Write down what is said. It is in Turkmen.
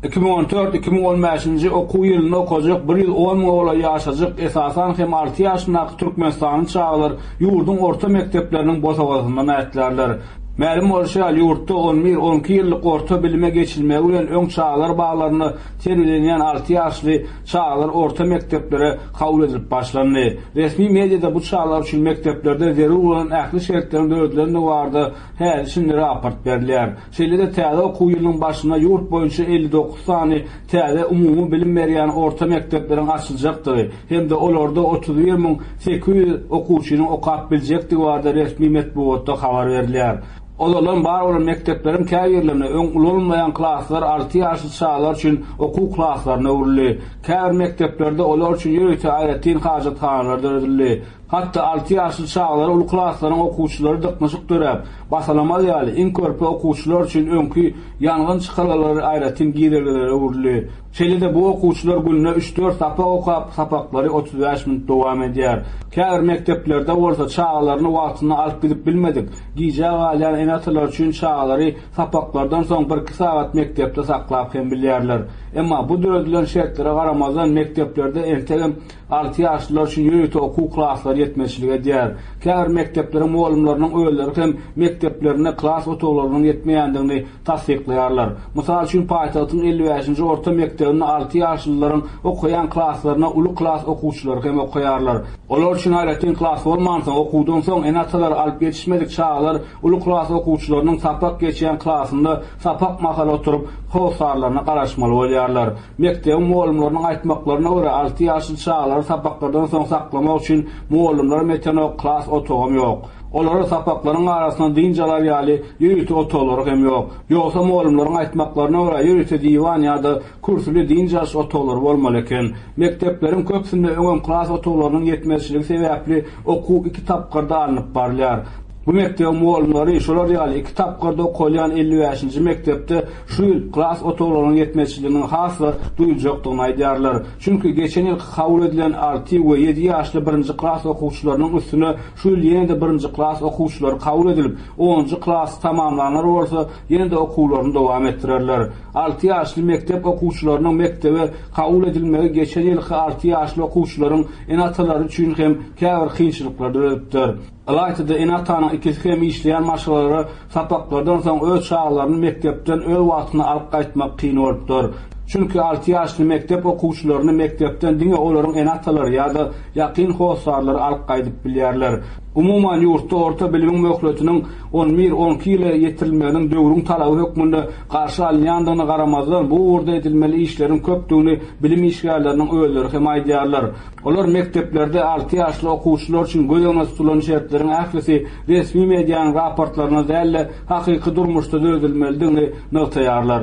2014, 2015-nji okuw ýylynda okajak 110 müňe golaý ýaşajyk, esasan hem alty ýaşyndaky türkmenistanly çagalar ýurduň orta mekdepleriniň bosagasyndan ätlärler. Mälim bolşy ýaly, ýurtda on bir, on iki ýyllyk orta bilime geçilmegi bilen öň çagalar baglarynda terbiýelenýän alty ýaşly çagalar orta mekdeplere kabul edilip başlandy. Resmi mediada bu çagalar üçin mekdeplerde zerur bolan ähli şertleriň döredilendigi barada häli-şindi raport berilýär. Şeýle-de täze okuw ýylynyň başynda ýurt boýunça 59 sany täze umumy bilim berýän orta mekdepleriň açyljakdygy hem-de olarda 31 800 okuwçynyň okap biljekdigi barada resmi metbugatda habar berilýär. Ozalam bar bolan mekdepleriň käbirlerinde öň ulanylmaýan klaslar alty ýaşly çagalar üçin okuw klaslaryna öwrüldi. Käbir mekdeplerde olar üçin ýörite aýratyn hajathanalar döredildi. Hatda alty ýaşly çagalara uly klaslaryň okuwçylary dyknyşyk döräp, basalamaz ýaly, iň körpe okuwçylar üçin öňki ýangyn çykalgalary aýratyn girelgelere öwrüldi. Şeýle-de bu okuwçylar günde üç-dört sapak okap, sapaklary 35 minut dowam edýär. Käbir mekdeplerde bolsa çagalaryny wagtynda alyp gidip bilmedik, gijä galýan ene-atalar üçin çagalary sapaklardan soň birki sagat mekdepde saklap hem bilýärler. Emma bu döredilen şertlere garamazdan mekdeplerde entegem Alty ýaşlylar üçin ýörite okuw klaslary ýetmezçilik edýär. Käbir mekdepleriň mugallymlarynyň özleri hem mekdeplerinde klas otaglarynyň ýetmeýändigini tassyklaýarlar. Mysal üçin, paýtagtyň 55-nji orta mekdebinde alty ýaşlylaryň okaýan klaslarynda uly klas okuwçylary hem okaýarlar. Olar üçin aýratyn klas bolmansoň, okuwdan soň ene-atalary alyp ýetişmedik çagalar uly klas okuwçylarynyň sapak geçýän klasynda sapak mahaly oturyp, hossarlaryna garaşmaly bolýarlar. Mekdebiň mugallymlarynyň aýtmaklaryna görä, alty ýaşly çagalary sapaklardan soň saklamak üçin mugallymlaram ýetenok, klas otagam ýok. Olara sapaklaryň arasynda dynç alar ýaly ýörite otaglary hem ýok. Ýogsa mugallymlaryň aýtmaklaryna görä, ýörite diwan ýa-da kürsüli dynç alyş otaglary bolmaly eken. Mekdepleriň köpüsinde öňem klas otaglarynyň ýetmezçiligi sebäpli okuw iki tapgyrda alnyp barylýar. Bu mekdebiň mugallymlary şolar ýaly iki tapgyrda okalýan 55-nji mekdepde şu ýyl klas otaglarynyň ýetmezçiliginiň has-da duýuljakdygyny aýdýarlar. Çünki geçen ýylky kabul edilen alty we ýedi ýaşly birinji klas okuwçylarynyň üstüne şu ýyl ýene-de birinji klas okuwçylary kabul edilip, onunjy klasy tamamlanlar bolsa ýene-de okuwlaryny dowam etdirerler. Alty ýaşly mekdep okuwçylarynyň mekdebe kabul edilmegi geçen ýylky alty ýaşly okuwçylaryň ene-atalary üçin hem käbir kynçylyklary döredipdir. Ylaýta-da ene-atanyň ikisi hem işleýän maşgalalara sapaklardan soň öz çagalaryny mekdepden öz wagtynda alyp gaýtmak kyn bolupdyr. Çünki alty ýaşly mekdep okuwçylaryny mekdepden diňe olaryň ene-atalary ýa-da ýakyn hossarlary alyp gaýdyp bilýärler. Umuman, ýurtda orta bilimiň möhletiniň on bir, on iki ýyla ýetirilmeginiň döwrüň talaby hökmünde garşy alynýandygyna garamazdan, bu ugurda edilmeli işleriň köpdügini bilim işgärleriniň özleri hem aýdýarlar. Olar mekdeplerde alty ýaşly okuwçylar üçin göz öňünde tutulan şertleriň ählisi resmi medianyň raportlarynda däl-de, hakyky durmuşda döredilmelidigini nygtaýarlar.